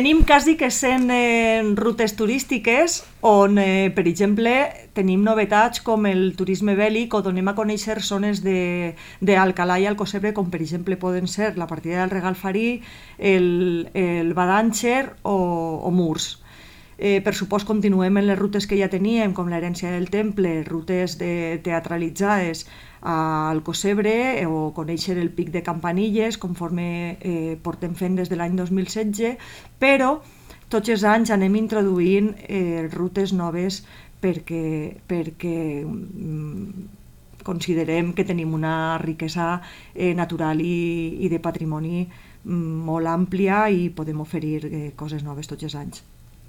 Tenim quasi que 100 rutes turístiques on, per exemple, tenim novetats com el turisme bèl·lic o donem a conèixer zones d'Alcalà i Alcocebre, com per exemple poden ser la partida del Regalfarí, el Badànxer o Murs. Per supost, continuem en les rutes que ja teníem, com l'herència del temple, rutes teatralitzades a Alcocebre o conèixer el pic de Campanilles, conforme portem fent des de l'any 2016, però tots els anys anem introduint rutes noves perquè considerem que tenim una riquesa natural i de patrimoni molt àmplia i podem oferir coses noves tots els anys.